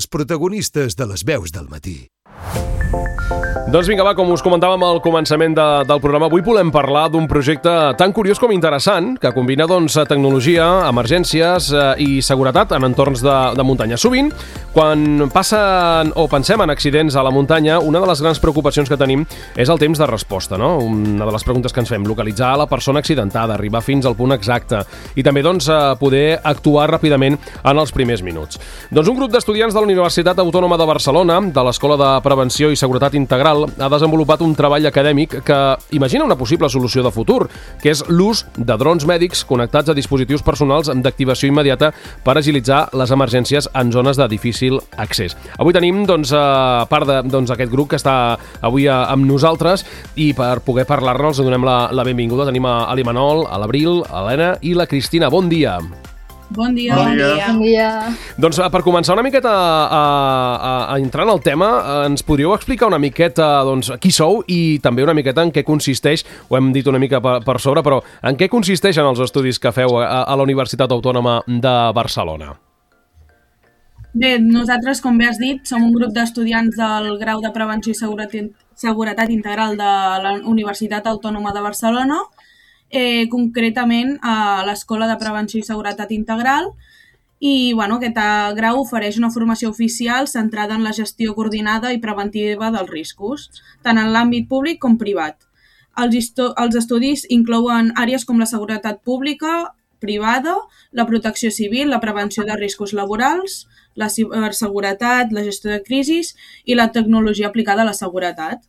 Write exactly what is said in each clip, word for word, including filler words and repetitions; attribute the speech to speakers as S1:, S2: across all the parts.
S1: els protagonistes de les veus del matí.
S2: Doncs vinga, va, com us comentàvem al començament de, del programa, avui volem parlar d'un projecte tan curiós com interessant, que combina doncs, tecnologia, emergències eh, i seguretat en entorns de, de muntanya. Sovint, quan passen o pensem en accidents a la muntanya, una de les grans preocupacions que tenim és el temps de resposta, no? Una de les preguntes que ens fem, localitzar la persona accidentada, arribar fins al punt exacte i també doncs, poder actuar ràpidament en els primers minuts. Doncs un grup d'estudiants de la Universitat Autònoma de Barcelona, de l'Escola de Prevenció i Seguretat Integral, ha desenvolupat un treball acadèmic que imagina una possible solució de futur, que és l'ús de drons mèdics connectats a dispositius personals d'activació immediata per agilitzar les emergències en zones de difícil accés. Avui tenim, doncs, a part d'aquest doncs, grup que està avui amb nosaltres i per poder parlar-nos donem la, la benvinguda. Tenim a l'Imanol, a l'Abril, a l'Helena i la Cristina. Bon dia.
S3: Bon dia.
S4: Bon dia.
S3: Bon dia.
S2: Doncs per començar una miqueta a, a, a entrar en el tema, ens podríeu explicar una miqueta doncs, qui sou i també una miqueta en què consisteix, ho hem dit una mica per, per sobre, però en què consisteixen els estudis que feu a, a la Universitat Autònoma de Barcelona?
S3: Bé, nosaltres, com bé has dit, som un grup d'estudiants del grau de Prevenció i Seguretat, Seguretat Integral de la Universitat Autònoma de Barcelona, Eh, concretament a l'Escola de Prevenció i Seguretat Integral i bueno, aquest grau ofereix una formació oficial centrada en la gestió coordinada i preventiva dels riscos, tant en l'àmbit públic com privat. Els, els estudis inclouen àrees com la seguretat pública, privada, la protecció civil, la prevenció de riscos laborals, la ciberseguretat, la gestió de crisis i la tecnologia aplicada a la seguretat.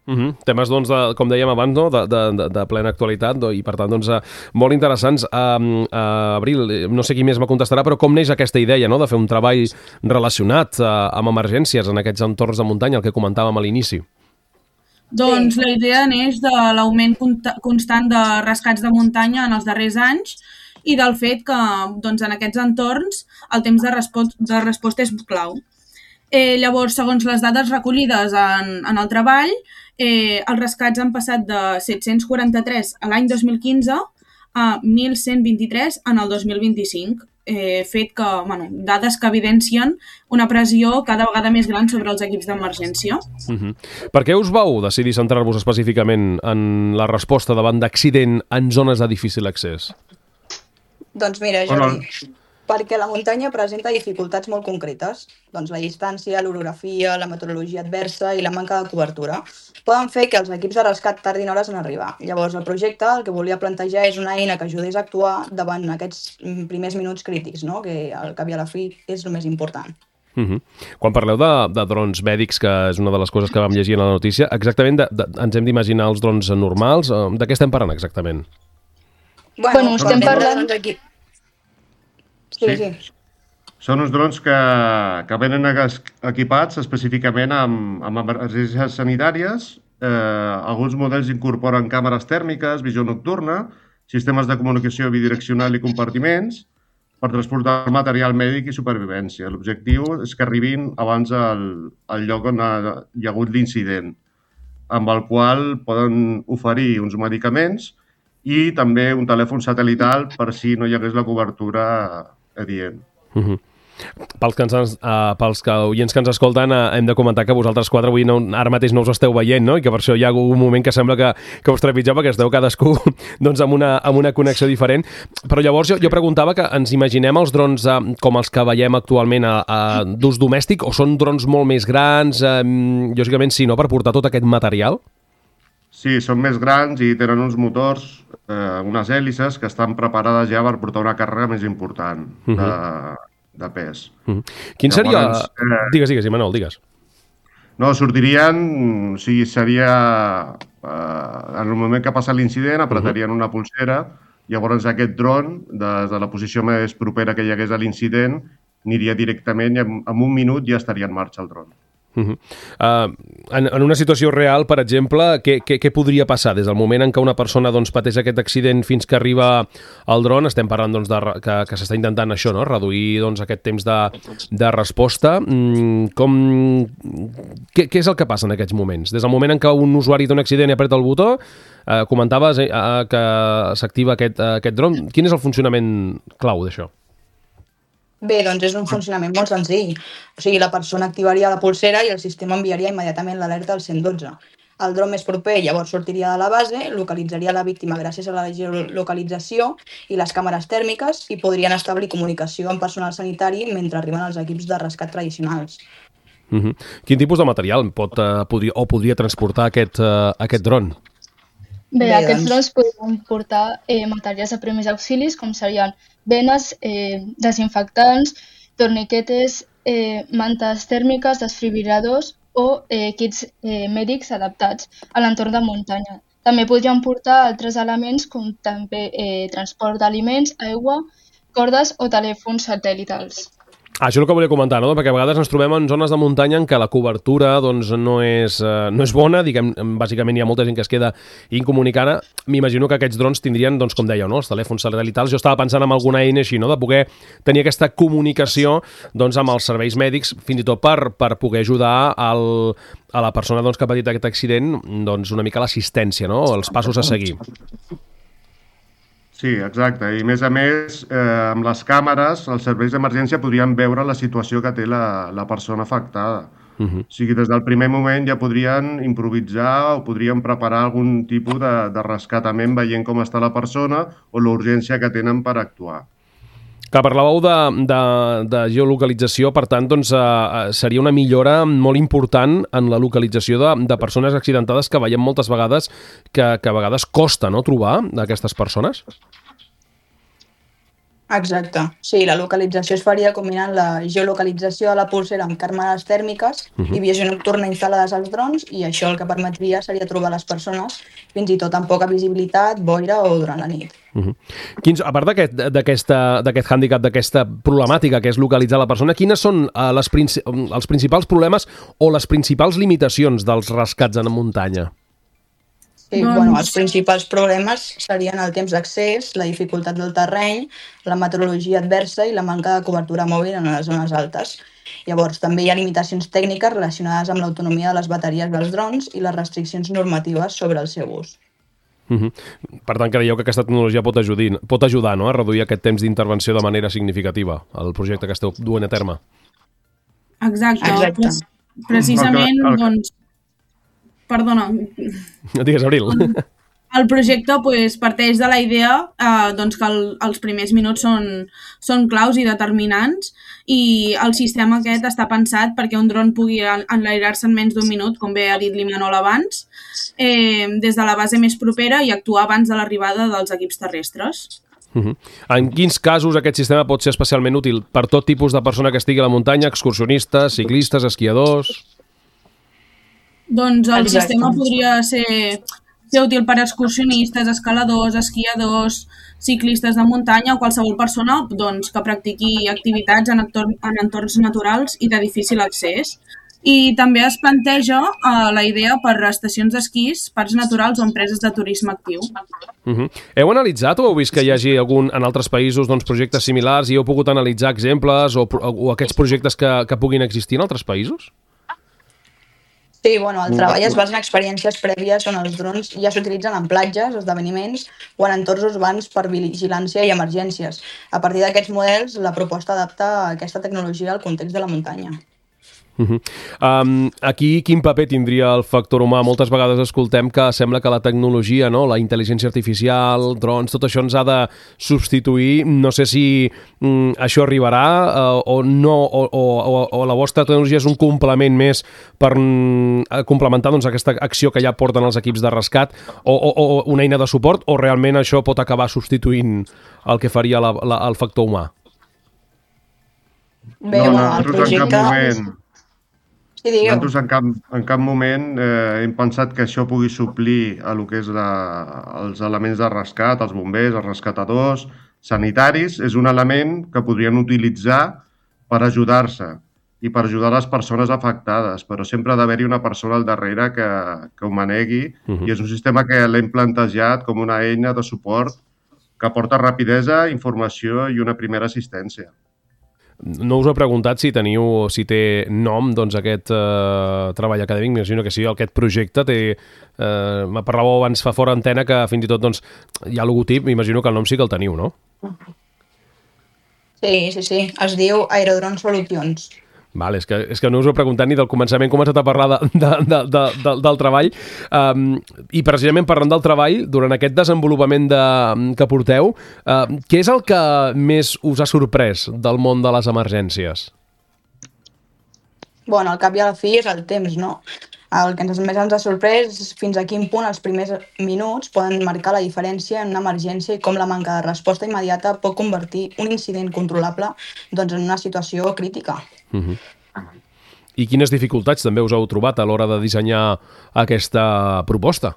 S2: Uh-huh. Temes, doncs, de, com dèiem abans, no? de, de, de plena actualitat i, per tant, doncs, molt interessants. Uh, uh, Abril, no sé qui més me contestarà, però com neix aquesta idea, no?, de fer un treball relacionat uh, amb emergències en aquests entorns de muntanya, el que comentàvem a l'inici?
S3: Doncs la idea neix de l'augment constant de rescats de muntanya en els darrers anys i del fet que doncs, en aquests entorns el temps de, respo de resposta és clau. Eh, llavors, segons les dades recollides en, en el treball, eh, els rescats han passat de set-cents quaranta-tres a l'any dos mil quinze a mil cent vint-i-tres en el dos mil vint-i-cinc, eh, fet que, bueno, dades que evidencien una pressió cada vegada més gran sobre els equips d'emergència.
S2: Uh-huh. Per què us vau decidir centrar-vos específicament en la resposta davant d'accident en zones de difícil accés?
S4: Doncs mira, Jordi, perquè la muntanya presenta dificultats molt concretes. Doncs la distància, l'orografia, la meteorologia adversa i la manca de cobertura poden fer que els equips de rescat tardin hores en arribar. Llavors, el projecte el que volia plantejar és una eina que ajudés a actuar davant aquests primers minuts crítics, no?, que al cap i a la fi és el més important.
S2: Uh-huh. Quan parleu de, de drons mèdics, que és una de les coses que vam llegir en la notícia, exactament de, de, ens hem d'imaginar els drons normals? De què estem parlant exactament?
S4: Bueno, bueno estem parlant... Aquí. Sí, sí. sí.
S5: Són uns drons que, que venen equipats específicament amb, amb emergències sanitàries. Eh, alguns models incorporen càmeres tèrmiques, visió nocturna, sistemes de comunicació bidireccional i compartiments per transportar material mèdic i supervivència. L'objectiu és que arribin abans al, al lloc on ha, hi ha hagut l'incident, amb el qual poden oferir uns medicaments i també un telèfon satelital per si no hi hagués la cobertura adient.
S2: Uh-huh. Pels, que ens, uh, pels que oients que ens escolten, uh, hem de comentar que vosaltres quatre avui no, ara mateix no us esteu veient, no? I que per això hi ha un moment que sembla que, que us trepitgeu, perquè esteu cadascú doncs, amb, una, amb una connexió diferent. Però llavors jo, jo preguntava que ens imaginem els drons uh, com els que veiem actualment uh, uh, d'ús domèstic, o són drons molt més grans, uh, lògicament sí, no?, per portar tot aquest material?
S5: Sí, són més grans i tenen uns motors, eh, unes hèlices que estan preparades ja per portar una càrrega més important de, uh-huh. de pes. Uh-huh.
S2: Quin Llavors, seria... Eh... Digues, digues, Imanol, digues.
S5: No, sortirien, o sigui, seria... Eh, en el moment que passa l'incident, apretarien uh-huh. una pulsera, llavors aquest dron, des de la posició més propera que hi hagués a l'incident, aniria directament i en, en un minut ja estaria en marxa el dron.
S2: Uh-huh. uh, en, en una situació real, per exemple, què, què, què podria passar des del moment en què una persona doncs, pateix aquest accident fins que arriba al dron? Estem parlant doncs, de, que, que s'està intentant això, no?, reduir doncs, aquest temps de, de resposta. Mm, com, què, què és el que passa en aquests moments? Des del moment en què un usuari té un accident i apreta el botó, eh, comentaves eh, que s'activa aquest, aquest dron. Quin és el funcionament clau d'això?
S4: Bé, doncs és un funcionament molt senzill. O sigui, la persona activaria la pulsera i el sistema enviaria immediatament l'alerta al cent dotze. El dron més proper llavors sortiria de la base, localitzaria la víctima gràcies a la geolocalització i les càmeres tèrmiques i podrien establir comunicació amb personal sanitari mentre arriben els equips de rescat tradicionals.
S2: Uh-huh. Quin tipus de material pot, uh, podria, o podria transportar aquest, uh, aquest dron?
S6: Bé, Bé aquests drons podrien portar eh, materials de primers auxilis, com serien venes, eh, desinfectants, torniquetes, eh, mantes tèrmiques, desfibriladors o eh, kits eh, mèdics adaptats a l'entorn de muntanya. També podrien portar altres elements com també eh, transport d'aliments, aigua, cordes o telèfons satèl·litals.
S2: Ah, això és el que volia comentar, no? Perquè a vegades ens trobem en zones de muntanya en què la cobertura doncs, no, és, eh, no és bona, diguem, bàsicament hi ha molta gent que es queda incomunicada. M'imagino que aquests drons tindrien, doncs, com dèieu, no? Els telèfons satèl·litals. Jo estava pensant en alguna eina així, no? De poder tenir aquesta comunicació doncs, amb els serveis mèdics, fins i tot per, per poder ajudar al, a la persona doncs, que ha patit aquest accident doncs, una mica l'assistència, no? Els passos a seguir.
S5: Sí, exacte. I a més a més, eh, amb les càmeres, els serveis d'emergència podrien veure la situació que té la, la persona afectada. Uh-huh. O sigui, des del primer moment ja podrien improvisar o podrien preparar algun tipus de, de rescatament veient com està la persona o l'urgència que tenen per actuar.
S2: Que parlàveu de, de, de geolocalització, per tant, doncs, eh, seria una millora molt important en la localització de, de persones accidentades que veiem moltes vegades que, que a vegades costa, no?, trobar aquestes persones?
S4: Exacte. Sí, la localització es faria combinant la geolocalització de la pulsera amb càmeres tèrmiques uh-huh. i visió nocturna instal·lades als drons, i això el que permetria seria trobar les persones fins i tot amb poca visibilitat, boira o durant la nit.
S2: Uh-huh. Quins, a part d'aquest d'aquest hàndicap, d'aquesta problemàtica que és localitzar la persona, quines són uh, les princi els principals problemes o les principals limitacions dels rescats en muntanya?
S4: Sí, doncs... bueno, els principals problemes serien el temps d'accés, la dificultat del terreny, la meteorologia adversa i la manca de cobertura mòbil en les zones altes. Llavors, també hi ha limitacions tècniques relacionades amb l'autonomia de les bateries dels drons i les restriccions normatives sobre el seu ús.
S2: Uh-huh. Per tant, creieu que aquesta tecnologia pot ajudar, pot ajudar no? a reduir aquest temps d'intervenció de manera significativa al projecte que esteu duent a terme?
S3: Exacte.
S4: Exacte.
S3: Precisament, el, el... doncs... Perdona.
S2: Digues, Abril.
S3: El projecte pues, parteix de la idea eh, doncs, que el, els primers minuts són, són claus i determinants, i el sistema aquest està pensat perquè un dron pugui enlairar-se en menys d'un minut, com bé ha dit l'Imanol abans, eh, des de la base més propera i actuar abans de l'arribada dels equips terrestres.
S2: Uh-huh. En quins casos aquest sistema pot ser especialment útil? Per tot tipus de persona que estigui a la muntanya, excursionistes, ciclistes, esquiadors...
S3: Doncs el Exacte. sistema podria ser, ser útil per excursionistes, escaladors, esquiadors, ciclistes de muntanya o qualsevol persona doncs, que practiqui activitats en, entorn, en entorns naturals i de difícil accés. I també es planteja uh, la idea per estacions d'esquís, parcs naturals o empreses de turisme actiu.
S2: Uh-huh. Heu analitzat o heu vist que hi hagi algun, en altres països doncs, projectes similars i heu pogut analitzar exemples o, o aquests projectes que, que puguin existir en altres països?
S4: Sí, bueno, el treball es basa en experiències prèvies on els drons ja s'utilitzen en platges, esdeveniments o en entorns urbans per vigilància i emergències. A partir d'aquests models, la proposta adapta aquesta tecnologia al context de la muntanya.
S2: Uh-huh. um, aquí quin paper tindria el factor humà? Moltes vegades escoltem que sembla que la tecnologia, no? La intel·ligència artificial, drons, tot això ens ha de substituir. No sé si um, això arribarà uh, o no, o, o, o la vostra tecnologia és un complement més per um, complementar doncs, aquesta acció que ja porten els equips de rescat, o, o, o una eina de suport, o realment això pot acabar substituint el que faria la, la, el factor humà?
S4: Bé, no, no, el projecte...
S5: Sí, nosaltres en cap, en cap moment eh, hem pensat que això pugui suplir a lo que és la, els elements de rescat, els bombers, els rescatadors, sanitaris. És un element que podrien utilitzar per ajudar-se i per ajudar les persones afectades, però sempre ha d'haver-hi una persona al darrere que, que ho manegui, uh-huh. i és un sistema que l'hem plantejat com una eina de suport que aporta rapidesa, informació i una primera assistència.
S2: No us he preguntat si teniu, si té nom, doncs, aquest eh, treball acadèmic. M'imagino que sí, aquest projecte té... Eh, me parlàveu abans fa fora antena que fins i tot doncs, hi ha logotip, m'imagino que el nom sí que el teniu, no?
S4: Sí, Sí, sí, sí. Es diu Aerodrone Solutions.
S2: Vale, és que, és que no us ho he preguntat ni del començament, com començat a parlar de, de, de, de, de, del treball. Um, I precisament parlant del treball, durant aquest desenvolupament de, que porteu, uh, què és el que més us ha sorprès del món de les emergències?
S4: Bueno, al cap i a la fi és el temps, no? El que ens, més ens ha sorprès és fins a quin punt els primers minuts poden marcar la diferència en una emergència i com la manca de resposta immediata pot convertir un incident controlable doncs, en una situació crítica.
S2: Uh-huh. I quines dificultats també us heu trobat a l'hora de dissenyar aquesta proposta?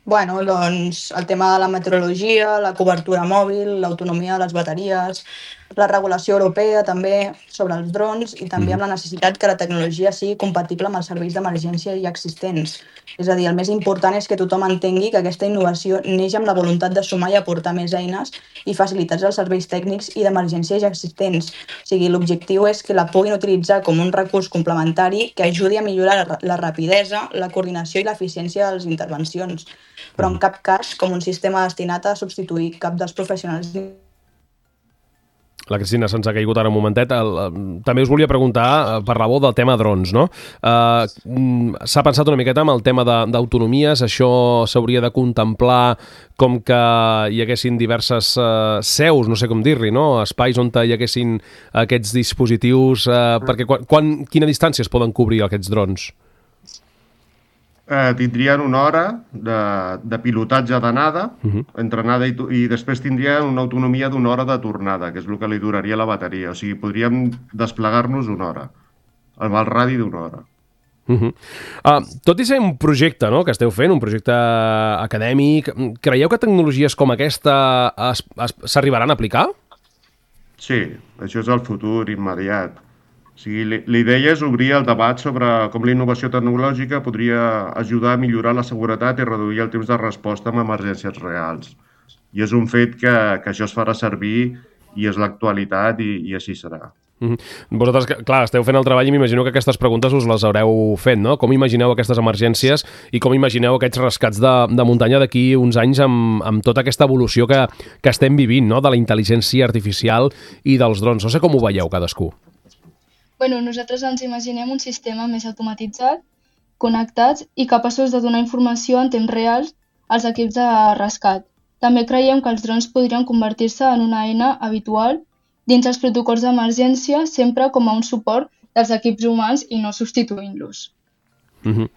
S4: Bueno, doncs el tema de la meteorologia, la cobertura mòbil, l'autonomia de les bateries, la regulació europea també sobre els drons i també amb la necessitat que la tecnologia sigui compatible amb els serveis d'emergència ja existents. És a dir, el més important és que tothom entengui que aquesta innovació neix amb la voluntat de sumar i aportar més eines i facilitats als serveis tècnics i d'emergència ja existents. O sigui, l'objectiu és que la puguin utilitzar com un recurs complementari que ajudi a millorar la rapidesa, la coordinació i l'eficiència de les intervencions, però en cap cas com un sistema destinat a substituir cap dels professionals.
S2: La Cristina se'ns ha caigut ara un momentet. El, el, també us volia preguntar, parlàveu del tema drons, no? Uh, S'ha pensat una miqueta amb el tema d'autonomies, això s'hauria de contemplar com que hi haguessin diverses uh, seus, no sé com dir-li, no? Espais on hi haguessin aquests dispositius, uh, perquè quan, quan, quina distància es poden cobrir aquests drons?
S5: Eh, tindrien una hora de, de pilotatge d'anada, uh-huh. entre anada i, i després tindrien una autonomia d'una hora de tornada, que és el que li duraria la bateria. O sigui, podríem desplegar-nos una hora, amb el radi d'una hora.
S2: Uh-huh. uh, tot i ser un projecte, no?, que esteu fent, un projecte acadèmic, creieu que tecnologies com aquesta s'arribaran a aplicar?
S5: Sí, això és el futur immediat. O sigui, l'idea és obrir el debat sobre com la innovació tecnològica podria ajudar a millorar la seguretat i reduir el temps de resposta en emergències reals. I és un fet que, que això es farà servir i és l'actualitat i, i així serà.
S2: Mm-hmm. Vosaltres, clar, esteu fent el treball i m'imagino que aquestes preguntes us les haureu fet, no? Com imagineu aquestes emergències i com imagineu aquests rescats de, de muntanya d'aquí uns anys amb, amb tota aquesta evolució que, que estem vivint, no?, de la intel·ligència artificial i dels drons. No sé com ho veieu cadascú.
S6: Bueno, nosaltres ens imaginem un sistema més automatitzat, connectats i capaços de donar informació en temps real als equips de rescat. També creiem que els drons podrien convertir-se en una eina habitual dins els protocols d'emergència, sempre com a un suport dels equips humans i no substituint-los.
S2: Mm-hmm.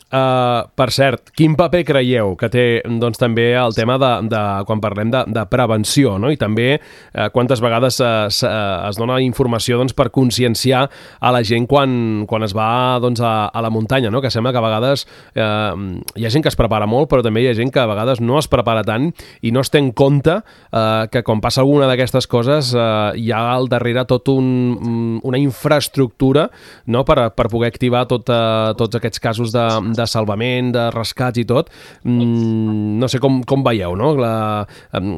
S2: Uh, per cert, quin paper creieu que té doncs, també el tema de, de quan parlem de, de prevenció, no? I també uh, quantes vegades uh, es dona informació doncs, per conscienciar a la gent quan, quan es va doncs, a, a la muntanya, no? Que sembla que a vegades uh, hi ha gent que es prepara molt, però també hi ha gent que a vegades no es prepara tant i no es té en compte uh, que quan passa alguna d'aquestes coses uh, hi ha al darrere tot un, una infraestructura, no? per, per poder activar tot, uh, tots aquests casos de de salvament, de rescats i tot. Mm, no sé com, com veieu, no? La,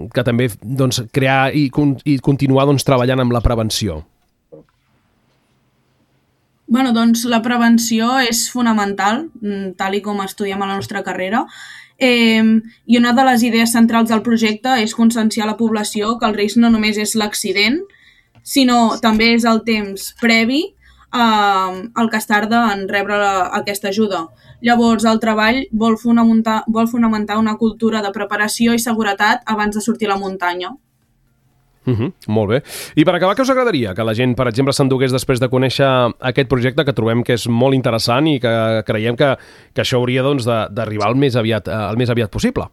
S2: que també doncs, crear i, i continuar doncs, treballant amb la prevenció.
S3: Bueno, doncs la prevenció és fonamental, tal i com estudiem a la nostra carrera, eh, i una de les idees centrals del projecte és conscienciar a la població que el risc no només és l'accident, sinó també és el temps previ eh, el que es tarda en rebre la, aquesta ajuda. Llavors, el treball vol fonamentar, vol fonamentar una cultura de preparació i seguretat abans de sortir a la muntanya.
S2: Uh-huh, molt bé. I per acabar, què us agradaria que la gent, per exemple, s'endugués després de conèixer aquest projecte que trobem que és molt interessant i que creiem que, que això hauria doncs, d'arribar el més aviat, el més aviat possible?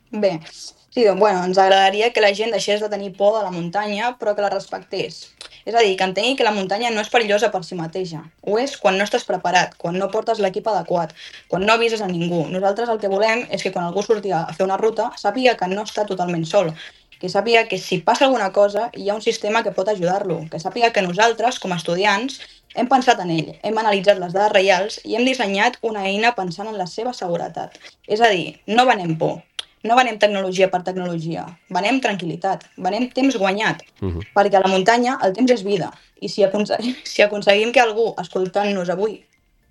S4: Bé, sí, doncs, bueno, ens agradaria que la gent deixés de tenir por de la muntanya, però que la respectés. És a dir, que entengui que la muntanya no és perillosa per si mateixa. Ho és quan no estàs preparat, quan no portes l'equip adequat, quan no avises a ningú. Nosaltres el que volem és que quan algú surti a fer una ruta sàpiga que no està totalment sol, que sàpiga que si passa alguna cosa hi ha un sistema que pot ajudar-lo, que sàpiga que nosaltres, com a estudiants, hem pensat en ell, hem analitzat les dades reals i hem dissenyat una eina pensant en la seva seguretat. És a dir, no venem por. No venem tecnologia per tecnologia, venem tranquil·litat, venem temps guanyat, uh-huh. perquè a la muntanya el temps és vida, i si aconseguim, si aconseguim que algú, escoltant-nos avui,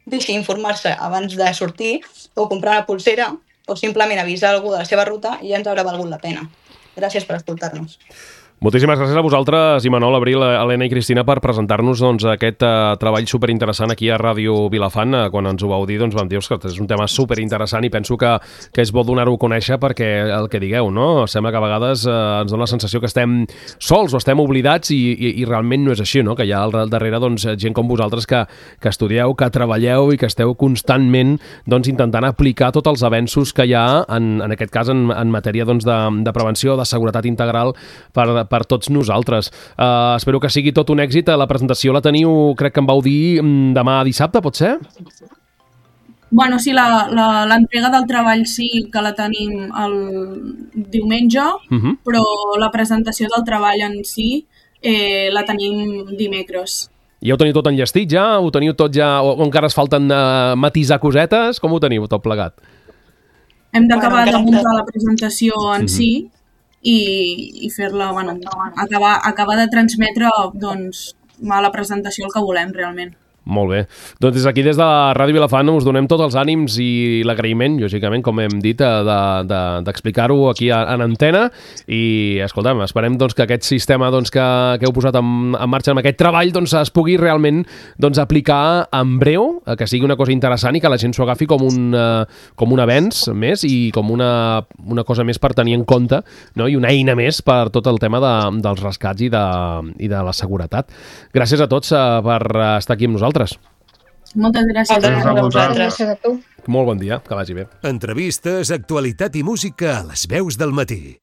S4: deixi informar-se abans de sortir, o comprar una pulsera, o simplement avisar algú de la seva ruta, ja ens haurà valgut la pena. Gràcies per escoltar-nos.
S2: Moltíssimes gràcies a vosaltres, Imanol, Abril, Helena i Cristina, per presentar-nos doncs, aquest uh, treball superinteressant aquí a Ràdio Vilafant. Uh, quan ens ho vau dir, doncs vam dir que és un tema superinteressant i penso que, que és bo donar-ho a conèixer perquè el que digueu, no? Sembla que a vegades uh, ens dona la sensació que estem sols o estem oblidats i, i, i realment no és així, no? Que hi ha al darrere doncs, gent com vosaltres que, que estudieu, que treballeu i que esteu constantment doncs, intentant aplicar tots els avenços que hi ha, en, en aquest cas en, en matèria doncs, de, de prevenció, de seguretat integral per per tots nosaltres. Uh, espero que sigui tot un èxit. La presentació la teniu, crec que em vau dir, demà dissabte, pot ser?
S3: Bueno, sí, l'entrega del treball sí que la tenim el diumenge, uh-huh. però la presentació del treball en si eh, la tenim dimecres.
S2: Ja ho teniu tot enllestit ja? Ho teniu tot ja? O encara es falten uh, matisar cosetes? Com ho teniu tot plegat?
S3: Hem d'acabar bueno, de muntar la presentació en uh-huh. si i, i fer-la, bueno, acabar, acabar de transmetre doncs, a la presentació el que volem realment.
S2: Molt bé. Doncs des d'aquí, des de la Ràdio Vilafant, us donem tots els ànims i l'agraïment, lògicament, com hem dit, d'explicar-ho de, de, aquí en antena i, escolta'm, esperem doncs, que aquest sistema doncs, que, que heu posat en, en marxa amb aquest treball doncs, es pugui realment doncs, aplicar en breu, que sigui una cosa interessant i que la gent s'ho agafi com un, com un avenç més i com una, una cosa més per tenir en compte, no? I una eina més per tot el tema de, dels rescats i de, i de la seguretat. Gràcies a tots per estar aquí amb nosaltres.
S3: Moltes gràcies.
S5: Gràcies a vosaltres.
S6: Gràcies a tu.
S2: Molt bon dia, que vagi bé.
S1: Entrevistes, actualitat i música a les veus del matí.